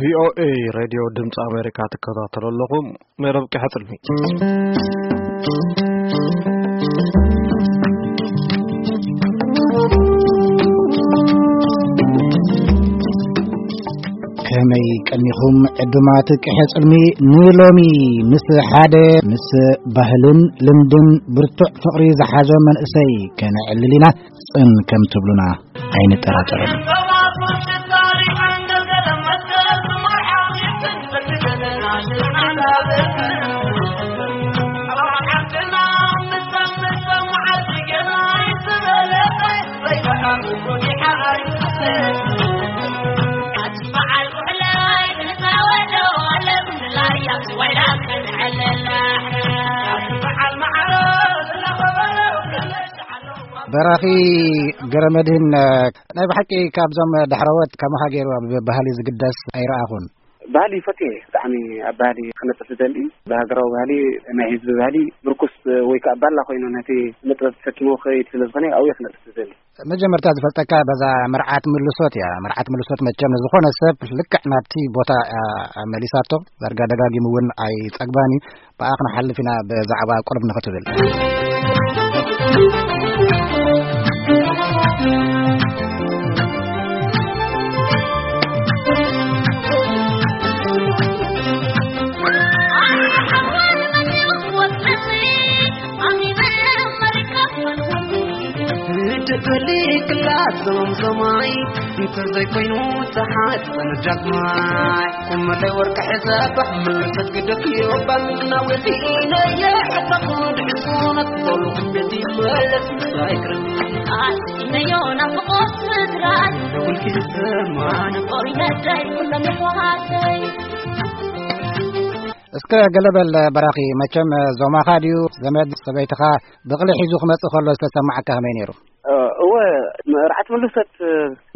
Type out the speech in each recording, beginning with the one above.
ቪኦኤ ሬድዮ ድምፂ ኣሜሪካ ትከታተሉ ኣለኹም። መደብ ቀሕፅልሚ። ከመይ ቀኒኹም ዕዱማት ቀሐ ጽልሚ? ንሎሚ ምስ ሓደ ምስ ባህልን ልምድን ብርቱዕ ፍቕሪ ዝሓዞ መንእሰይ ከነዕልል ኢና። ጽን ከም ትብሉና ኣይንጠራጠርን። በራኺ ገረመድህን፣ ናይ ብሓቂ ካብዞም ዳሕረዎት ከማኻ ገይሩ ኣብ ባህሊ ዝግደስ ኣይረኣኹን። ባህሊ ይፈትየ፣ ብጣዕሚ ኣብ ባህሊ ክነጥፍ ዝደሊ፣ ብሃገራዊ ባህሊ፣ ናይ ህዝቢ ባህሊ ምርኩስ ወይ ከዓ ባላ ኮይኑ ነቲ ስነ ጥበብ ተሰኪሞ ክኸይድ ስለ ዝኾነ ኣብኡ ክነጥፍ ዝደሊ። መጀመርታ ዝፈልጠካ በዛ መርዓት ምልሶት እያ። መርዓት ምልሶት መቸም ንዝኾነ ሰብ ልክዕ ናብቲ ቦታ እያ መሊሳቶ። ዳርጋ ደጋጊሙ እውን ኣይጸግባን እዩ። ብኣ ክንሓልፍ ኢና ብዛዕባ ቁርብ ንኽትብል። ትደሊ ክላት ዞምዞማይ እንተዘይኮይኑ ተሓጽን ዳግማይ። ቁመለይ ወርቂ ሕሰብ ምልሰት ግደፍ ይወባን ናውቲ ኢነየ ሕተኹ ድሕሱነት በሉ ቤት ይመለስ ምሳይክርም። ኣስኢነዮ ናፍቆት ስድራይ ኩልኪ ዝሰማን ቆይነደይ ኩሎም የሕዋተይ። እስከ ገለ በል በራኺ፣ መቸም ዞማኻ ድዩ ዘመድ ሰበይትኻ ብቕሊ ሒዙ ክመጽእ ከሎ ዝተሰማዓካ ከመይ ነይሩ? እወ፣ መርዓት ምልሰት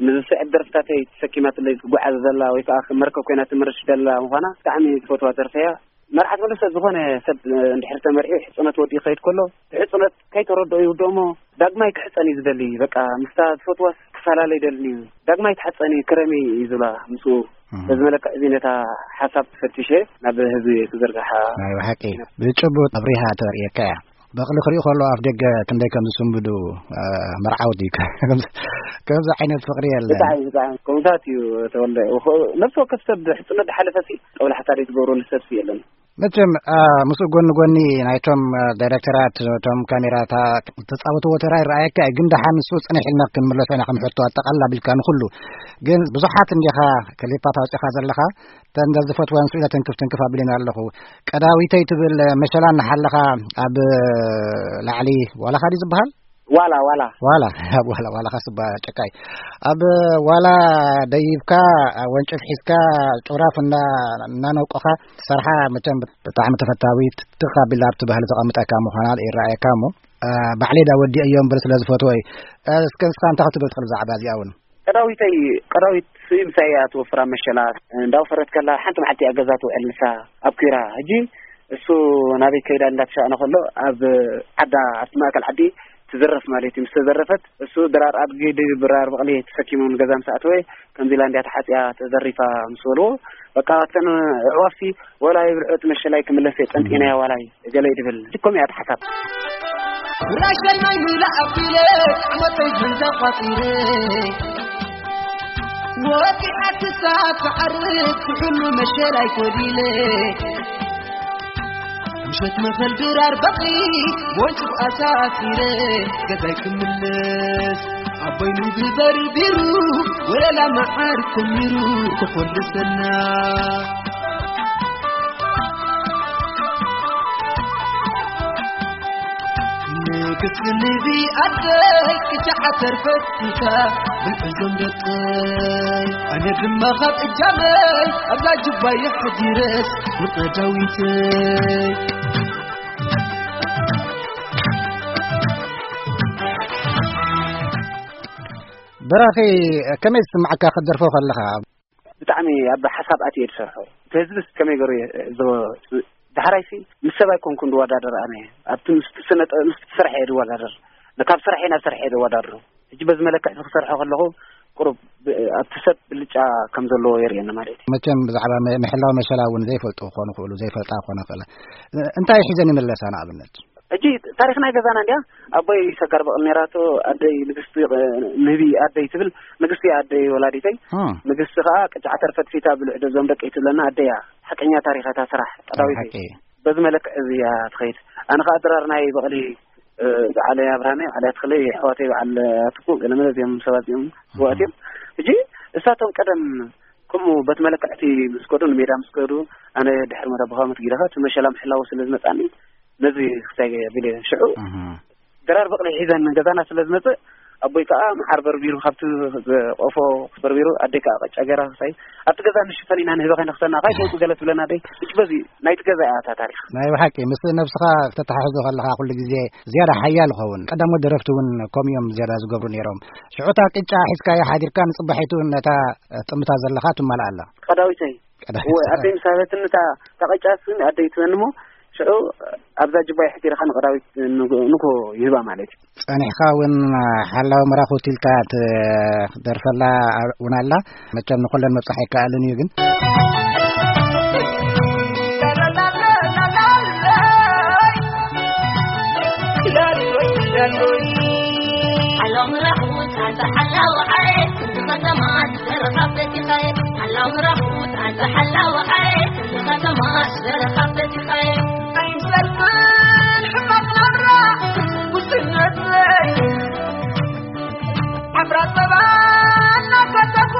ንዝስዕብ ደርፍታተይ ተሰኪማትለይ ትጓዓዝ ዘላ ወይ ከዓ መርከብ ኮይና ትምርሽ ዘላ ምዃና ብጣዕሚ ዝፈትዋ ደርፊ እያ። መርዓት ምልሰት ዝኾነ ሰብ እንድሕር ተመርዒ ሕፅነት ወዲኡ ክኸይድ ከሎ ብሕፅነት ከይተረድኦ ይውድኦ እሞ ዳግማይ ክሕፀን እዩ ዝደሊ። በቃ ምስታ ዝፈትዋ ክፈላለ ይደልን እዩ። ዳግማይ ትሓፀኒ ክረሚ እዩ ዝብላ ምስኡ። እም። በዚ መለክዕ እዚ ነታ ሓሳብ ፈቲሸ ናብ ህዝቢ ክዘርግሓ። ናይ ብሓቂ ብጭቡጥ ኣብሪሃ ተርእየካ እያ። በቕሊ ክሪኡ ከሎ ኣፍ ደገ ክንደይ ከም ዝስንብዱ፣ እ፣ መርዓውቲ እዩ። ከምዚ፣ ከምዚ ዓይነት ፍቕሪ የለን። ብጣዕሚ፣ ብጣዕሚ ከምታት እዩ ተወልደ። ወኸ-፣ ነፍሲ ወከፍ ሰብ ሕፅነት ዝሓለፈ ሲ ጠብላሕታ ዘይትገብረሉ ሰብ ሲ የለን። መቸም፣ እ፣ ምስኡ ጎኒ ጎኒ ናይቶም፣ እ፣ ዳይሬክተራት፣ እቶም ካሜራታ ዝተፃወትዎ ተራ ይረኣየካ እዩ። ግን ደሓን ንሱ ፅንሕ ኢልና ክንምለሶ ኢና ከም ሕቶ ኣጠቓልል ኣቢልካ ንኹሉ። ግን ብዙሓት እንዲኻ ክሊፓት ኣውፂኻ ዘለኻ፣ እተን ዝፈትወን ስእለ ትንክፍ ትንክፍ ኣቢለና ኣለኹ። ቀዳዊተይ ትብል መሸላ እናሓለኻ ኣብ ላዕሊ ዋላኻ ድዩ ዝበሃል? ዋላ፣ ዋላ። ዋላ፣ ኣብ ዋላ፣ ዋላኻ ስባ ጨካይ። ኣብ ዋላ ደይብካ፣ ወንጭፍ ሒዝካ፣ ጭራፍ እና-፣ እናነውቆኻ ትሰርሓ መቸም ብጣዕሚ ተፈታዊት፣ ትኽ ኣቢላ ኣብቲ ባህሊ ተቐምጠካ ምዃና ይረኣየካ እሞ፣ እ፣ ባዕለይ ዳ ወዲአዮ እምበር ስለ ዝፈትዎ እዩ። እ፣ እስከ ንስኻ እንታይ ክትብል ትኽእል ብዛዕባ እዚኣ እውን? ቀዳዊተይ፣ ቀዳዊት ስዩም ሳያ ትወፍራ መሸላት እንዳወፈረት ከላ ሓንቲ መዓልቲ እያ ገዛ ትውዕል ንሳ ኣብ ኲራ። ሕጂ እሱ ናበይ ከይዳ እንዳተሻእነ ከሎ ኣብ ዓዳ፣ ኣብቲ ማእከል ዓዲ ትዝረፍ ማለት እዩ። ምስ ተዘረፈት እሱ ድራር ኣድጊ ድራር በቕሊ ተሰኪሙ ንገዛ ምስ ኣተወ ከምዚ ኢላ እንዲያ ተሓጽያ ተዘሪፋ ምስ በልዎ፣ በቃ እተን ኣዕዋፍቲ ወላ ይብልዑ እቲ መሸላይ ክምለስ እየ ጸንጢናያ ዋላይ ገለ ይድብል። ልኮም እያ እታ ሓሳብ። ራሸናይ ሚላ ኣቢለ ዓመተይ ገንዘብ ቋጺረ ወዲኣ ክሳብ ትዓርፍ ብሕሉ መሸላይ ኮዲለ ምሸት መኸል ድራር በቕሊ ወንጭፍ ኣሳሲረ ገዛይ ክምለስ ኣቦይ ምግቢ በርቢሩ ወለላ መዓር ኮሚሩ ክኾልሰና። ንግስቲ ንቢ ኣደይ ቅጫ ዓተር ፈቲካ ብልዕዞም ደቀይ ኣነ ድማ ካብ እጃመይ ኣብዛ ጅባይ ሕዲረስ ንቀዳዊተይ። በራኺ፣ ከመይ ዝስምዓካ ክትደርፎ ከለኻ? ብጣዕሚ ኣብ ሓሳብ ኣትየ ዝሰርሖ። እቲ ህዝብስ ከመይ ገይሩ ይዕዘቦ? ዳሕራይሲ ምስ ሰብ ኣይኮንኩን ዝወዳደር ኣነ። ኣብቲ ምስቲ ስነ ጥበብ፣ ምስቲ ስራሕ እየ ዝወዳደር። ካብ ስራሕ ናብ ስራሕ እየ ዝወዳደር። ሕጂ በዚ መለክዕ እዚ ክሰርሖ ከለኹ ቁሩብ ብ-፣ ኣብቲ ሰብ ብልጭ ጫ ከም ዘለዎ የርእየና ማለት እዩ። መቸም ብዛዕባ መ-፣ ምሕላው መሸላ እውን ዘይፈልጡ ክኾኑ ይኽእሉ፣ ዘይፈልጣ ክኾና ይኽእላ። እ-፣ እንታይ ሒዘን ይምለሳ ንኣብነት? ሕጂ ታሪኽ ናይ ገዛና እንድያ፣ ኣቦይ ሰጋር በቕሊ ነይራቶ፣ ኣደይ ንግስቲ፣ እ፣ ንህቢ ኣደይ ትብል፣ ንግስቲ ኣደይ ወላዲተይ፣ እ። ንግስቲ ከኣ ቅጫ ዓተር ፈትፊታ ብልዕ ዶ እዞም ደቀይ ትብለና ኣደያ። ሓቀኛ ታሪኽ እታ ስራሕ ቀዳዊተይ። ሓቂ። በዚ መለክዕ እዚ እያ ትኸይድ። ኣነ ከኣ ድራር ናይ በቕሊ፣ እ፣ በዓል ኣብርሃመይ፣ በዓል ኣትኽለይ፣ ኣሕዋተይ፣ በዓል ኣትኩ፣ ገለመለ እዚኦም ሰባት እዚኦም ስዋእት እዮም። ሕጂ እሳቶም ቀደም ከምኡ በት መለክዕቲ ምስ ከዱ፣ ንሜዳ ምስ ከዱ፣ ኣነ ድሕሪ መረብ ብኻመት ጊደኻ እቲ መሸላ ምሕላው ስለ ዝመጻኒ፣ ነዚ ክሳይ ቢለ ሽዑ እህ። ድራር በቕሊ ሒዘን ገዛና ስለ ዝመጽእ፣ ኣቦይ ከኣ መዓር በርቢሩ ካብቲ ቆፎ በርቢሩ፣ ኣደይ ከኣ ቅጫ ገይራ ክሳይ ኣብቲ ገዛ ንሽፈን ኢና ንህበ ከይነኽሰና፣ ካይ ተውጽእ ገለ ትብለና ኣደይ። እች በዚ ናይቲ ገዛ እያ እታ ታሪኽ። ናይ ብሓቂ ምስ ነብስኻ ክተተሓሕዞ ከለኻ ኩሉ ግዜ ዝያዳ ሓያል ይኸውን። ቀዳሞት ደረፍቲ እውን ከምኡ እዮም ዝያዳ ዝገብሩ ነይሮም። ሽዑ እታ ቅጫ ሒዝካያ ሓዲርካ ንጽባሒቱ ነታ ጥምታ ዘለኻ ትማልኣ ኣላ። ቀዳዊተይ። ቀዳዊት። እወ፣ ኣደይ ምስ ሃበትኒ እታ፣ እታ ቅጫ ስም ኣደይ ትበኒ እሞ ሽዑ ኣብዛ ጅባይ ሕቲርኻ ንቀዳዊት ንግ-፣ ንግሆ ይህባ ማለት እዩ። ጸኒሕካ እውን ሓላዊ መራኹት ኢልካ ትደርፈላ እውን ኣላ። መቸም ንኹለን መብጻሕ ኣይከኣልን እዩ ግን። ሓላው መራኹት ኣንታ ሓላው ዓሬት፣ ኩሉ ከተማ ዝደረኻ ፈቲኻየ። ሓላው መራኹት ኣንታ ሓላው ዓሬት፣ ኩሉ ከተማ ዝደረኻ ፈቲኻየ። ኣይምሰልክን ሕማቕ ናብራ ጉስነተይ፣ ዓፍራ ጸባ እናሰተኹ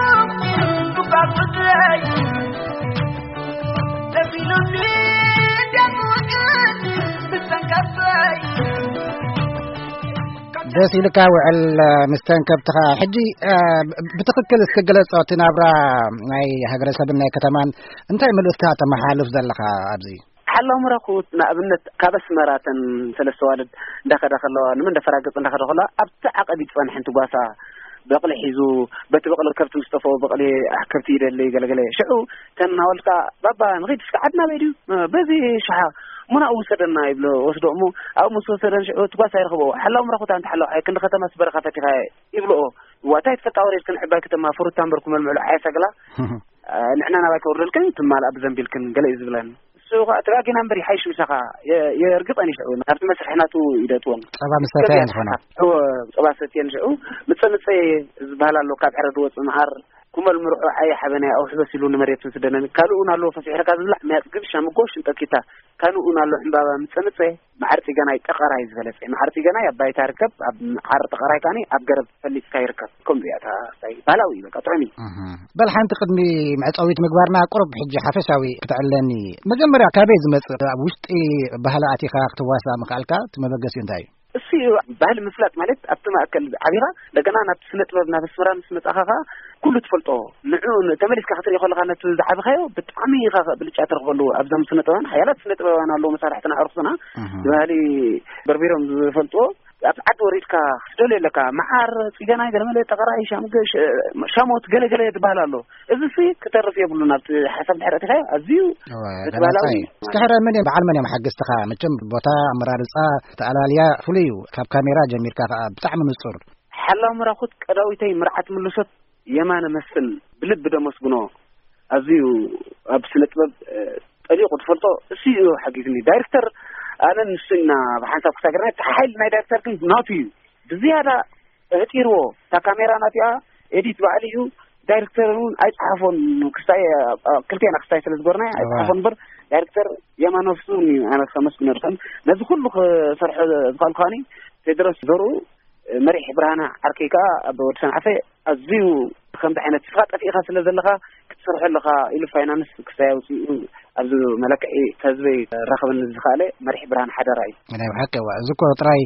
ዱባ ጉድረይ፣ ደስ ኢሉኒ ደስ ውዕል ምስ ተንከፍተይ። ደስ ኢልካ ውዕል፣ እ፣ ምስ ተንከብትኻ። ሕጂ፣ እ፣ ብ-፣ ብትኽክል እስኪ ግለጾ፣ እቲ ናብራ ናይ ሃገረሰብን ናይ ከተማን እንታይ መልእኽቲ ተመሓላልፍ ዘለኻ ኣብዚ? ሓላው መራኹት ንኣብነት ካብ ኣስመራ እተን ሰለስተ ዋልድ እንዳኸዳ ከለዋ፣ ንመን እንዳፈራገጸ እንዳኸዳ ከለዋ፣ ኣብቲ ዓቐብ ይጸንሐን ትጓሳ በቕሊ ሒዙ፣ በቲ በቕሊ ከብቲ ምስ ጠፍኦ፣ በቕሊ ከብቲ ይደሊ ገለገለ። ሽዑ እተን ኣዋልድ ከኣ፣ "ባባ፣ ንኺድ እስከ ዓድና በይ ድዩ? በዚ ሽሓ እሞ ናብኡ ውሰደና" ይብሎ፣ ወስዶ እሞ ኣብኡ ምስ ወሰደን ሽዑ ትጓሳ ይረኽብኦ። ሓላው መራኹት ኣንታ ሓላው ዓይ፣ ክንዲ ከተማ ስበረኻ ፈቲኻ ይብልኦ። "እዋ፣ እንታይ ትፈልጣ ወሬድክን ዕባይ ከተማ ፍሩታ እምበር ኩመልምዕሉ ዓያ ሰግላ፣ እ፣ ንሕና ናባይ ከውርደልክን ትማልኣ ብዘንቢልክን" ገለ እዩ ዝብለን። እሱ ኸኣ፣ "ተጋጊና እምበር ይሓይሽ ምሳኻ፣ የ-፣ የርግጸን ይሽዑ፣ ናብቲ መስርሒ ናቱ ይደእትወን። ጸባ ምስ ሰተየን ዝኾና። እወ፣ ጸባ ሰትየን ሽዑ፣ ምጸ ምጸ ዝበሃል ኣሎ፣ ካብ ዕረ ዝወጽእ መዓር፣ ኩመል ምርዑ፣ ዓየ ሓበናይ፣ ኣውሕበስ ኢሉ ንመሬት ምስደነን፣ ካልእ እውን ኣሎ፣ ፈፊሕርካ ዝብላዕ፣ መያጽ ግብሻ፣ ምጎ፣ ሽንጠኪታ፣ ካልእ እውን ኣሎ፣ ዕምባባ፣ ምጸ ምጸ፣ መዓር ጽገናይ፣ ጠቐራይ ዝበለጸ፣ መዓር ጽገናይ ኣብ ባይታ ይርከብ፣ ኣብ መዓር ጠቐራይ ካኒ ኣብ ገረብ ፈሊጽካ ይርከብ። ከምኡ እያ እታ ስታይ፣ ባህላዊ እዩ፣ በቃ፣ ጥዑም እዩ። እህ። በል፣ ሓንቲ ቅድሚ መዕጸዊት ምግባርና፣ ቁሩብ ሕጂ ሓፈሻዊ ክትዕለኒ። መጀመርያ፣ ካበይ ዝመጽእ፣ ኣብ ውሽጢ ባህሊ ኣቲኻ ክትዋሳእ ምኽኣልካ፣ እቲ መበገሲኡ እንታይ እዩ? እሱ እዩ፣ ባህሊ ምፍላጥ ማለት፣ ኣብቲ ማእከል ዓቢኻ፣ እንደገና ናብቲ ስነ ጥበብ፣ ናብ ኣስመራ ምስ መጻኻ ኸኣ፣ ኩሉ ትፈልጦ፣ ንዑ ን-፣ ተመሊስካ ክትርኢ ከለኻ፣ ነቲ ዝዓበኻዮ ብጣዕሚ ኢኻ ብልጫ ትረኽበሉ። ኣብዞም ስነ ጥበባን ሓያላት ስነ ጥበባን ኣለዉ፣ መሳርሕትና፣ ኣዕሩኽትና፣ እህ። ባህሊ በርቢሮም ዝፈልጥዎ፣ ኣብ ዓዲ ወሪድካ ክትደልዮ ኣለካ። መዓር፣ ጽገናይ፣ ገለመለ፣ ጠቐራይ፣ ሻምገ-፣ ሸ-፣ ሻሞት፣ ገለገለ ዝበሃል ኣሎ። እዚ ሲ ክተርፍ የብሉን። ኣብቲ ሓሳብ ድሕሪ ኣቲኻዮ ኣዝዩ እወ፣ እቲ ገላጻ ባህላዊ እዩ። እስኪ ሕረ መን እዮም፣ በዓል መን እዮም ሓገዝትኻ? መቸም ቦታ ኣመራርጻ፣ ተኣላልያ ፍሉይ እዩ። ካብ ካሜራ ጀሚርካ ከኣ ብጣዕሚ ንጹር። ሓላው መራኹት ቀዳዊተይ መርዓት ምልሶት የማነ መስፍን ብልቢ ደመስግኖ። ኣዝዩ ኣብ ስነ ጥበብ፣ እ፣ ጠሊቑ ትፈልጦ እሱ እዩ ሓጊዝኒ። ዳይሬክተር ኣነን ንሱ ኢና ብሓንሳብ ክሳገርና፣ እቲ ሓይሊ ናይ ዳይሬክተር ግን ናቱ እዩ። ብዝያዳ ኣህጢርዎ፣ እታ ካሜራ ናቲኣ፣ ኤዲት ባዕሉ እዩ፣ ዳይሬክተር እውን ኣይጸሓፎን፣ ክስታይ፣ ኣ፣ ክልቴና ክስታይ ስለ ዝገርና እዋ። ኣይጸሓፎን እምበር፣ ዳይሬክተር የማኖስ እውን እዩ፣ ኣነ ከመስግኖ ድኸም። ነዚ ኩሉ ክሰርሖ ዝኸኣልኩ ከኣኒ ቴድሮስ ዘርኡ፣ መሪሕ ብርሃነ ዓርከይ ከኣ ኣብ ወዲ ሰንዓፈ ኣዝዩ ከምዚ ዓይነት ንስኻ ጠፊእኻ ስለ ዘለኻ ክትሰርሖ ኣለኻ ኢሉ ፋይናንስ ክስታይ ኣውጺኡ ኣብዚ መለክዒ ከህዝበይ ክራኸበኒ ዝኸኣለ መሪሕ ብርሃን ሓደራ እዩ። ናይ ብሓቂ እዋ፣ እዚ እኮ ጥራይ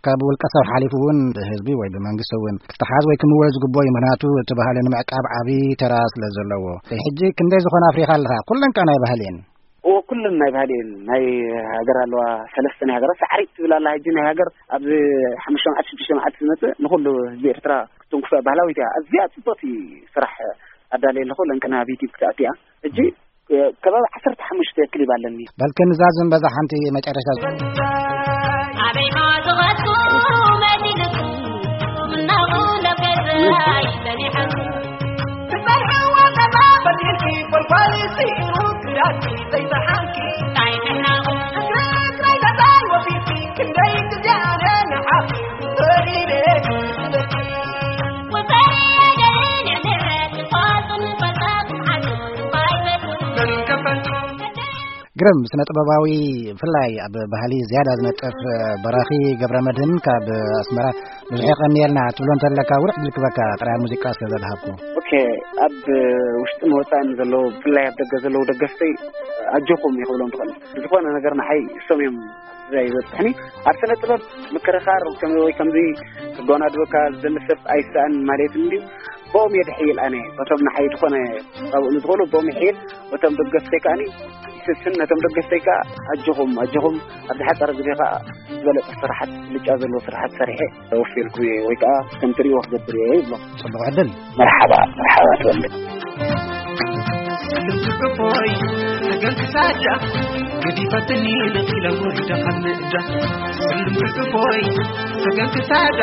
ካብ ውልቀ ሰብ ሓሊፉ እውን ብህዝቢ ወይ ብመንግስቲ እውን ክትሓዝ ወይ ክምወል ዝግብኦ እዩ። ምኽንያቱ እቲ ባህሊ ንምዕቃብ ዓቢ ተራ ስለ ዘለዎ። ሕጂ ክንደይ ዝኾነ ኣፍሪኻ ኣለኻ? ኩለን ከኣ ናይ ባህሊ እየን። እዎ፣ ኩለን ናይ ባህሊ እየን። ናይ ሃገር ኣለዋ፣ ሰለስተ ናይ ሃገር፣ ሳዕሪት ትብል ኣላ። ሕጂ ናይ ሃገር ኣብዚ ሓሙሽተ መዓልቲ፣ ሽዱሽተ መዓልቲ ዝመጽእ ንኹሉ ህዝቢ ኤርትራ ክትንክፎ እያ። ባህላዊት እያ። ኣዝያ ጽብቕቲ ስራሕ ኣዳልየ ኣለኹ። ለንቅና ኣብ ዩቲዩብ ክትኣቱ እያ። ሕጂ ከባቢ ዓሰርተ ሓሙሽተ ክሊብ ኣለኒ። በል ክንዛዝም በዛ ሓንቲ መጨረሻ። ኣበይ ማዕጾኻትኩም መዲንኩም እናቑ ለገዛይ ጸኒሐኩም ትፈርሕዎ ግርም ስነ ጥበባዊ፣ ብፍላይ ኣብ ባህሊ ዝያዳ ዝነጥፍ በራኺ ገብረ መድህን ካብ ኣስመራ። ብዙሕ የቐንየልና ትብሎ እንተለካ ውርሕ ድልክበካ ጥራይ ሙዚቃ ስለ ዘድሃብኩ። ኦኬ። ኣብ ውሽጥን ወፃእን ዘለዉ፣ ብፍላይ ኣብ ደገ ዘለዉ ደገፍተይ ኣጆኹም ይኽብሎም ትኽእል። ዝኾነ ነገር ንዓይ እሶም እዮም እዛ ይበፅሕኒ። ኣብ ስነ ጥበብ ምክርኻር ከም ወይ ከምዚ ክጎናድበካ ዝደሊ ሰብ ኣይሰኣን ማለት እንድዩ። ብኦም እየ ድሕይል ኣነ። በቶም ንዓይ ዝኾነ ካብኡ ንዝኾኑ ብኦም ይሕይል። በቶም ደገፍተይ ከኣኒ ይስስን። ነቶም ደገፍተይ ከኣ ኣጆኹም፣ ኣጆኹም፣ ኣብ ዝሓፀረ ግዜ ከኣ ዝበለፀ ስራሓት፣ ብልጫ ዘለዎ ስራሓት ሰሪሐ ወፊርኩም እየ ወይ ከኣ ከም ትርእይዎ ክገብር እየ ይብሎም። ጽቡቕ ዕድል። መርሓባ፣ መርሓባ ትወልድ። ስልም ትቅፎይ ሰገን ክሳዳ ገዲፈትኒ ልቂለ ወሪደ ካብ ምእዳ። ስልም ትቅፎይ ሰገን ክሳዳ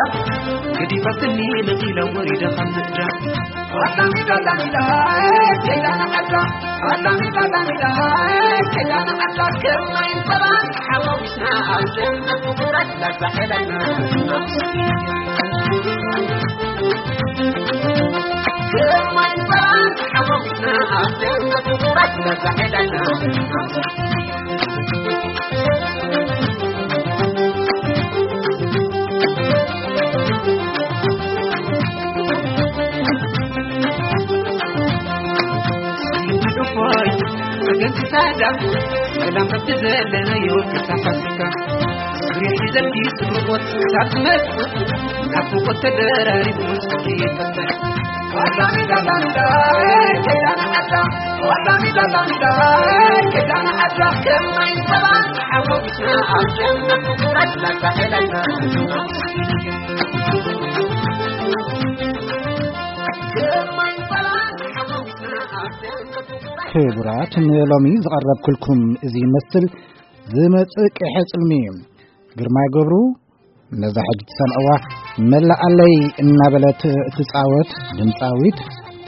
ገዲፈትኒ ልቂለ ወሪደ ካብ ምእዳ። እፎይ፣ ወገን ክሳዳ፣ ሰላም በቲ ዘለናዮ ክሳብ ፋሲካ። ዙርያ ሒዘልኪ ስርቆት ክሳብ ዝመጽእ፣ ናፍቆት ተደራሪቡ መስኮት ይፈትሕ። ዋላ ሚዳ ላንዳ፣ ከይዳና ዓዳ፣ ዋላ ሚዳ ላንዳ፣ ከይዳና ዓዳ፣ ከማይ ሰባት ሓጎስና ኣብ ጀነት፣ ላታ ሄለና። ክቡራት፣ ንሎሚ ዝቐረብኩልኩም እዚ ይመስል። ዝመጽእ ቀይሐ ጽልሚ እዩ። ግርማይ ገብሩ ነዛ ሕጂ ትሰምዕዋ መላኣለይ እናበለት እትጻወት ድምጻዊት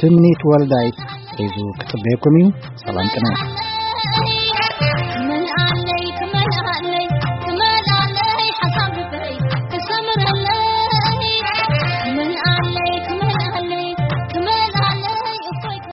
ትምኒት ወልዳይ ሒዙ ክጽበየኩም እዩ። ሰላም ቅነ።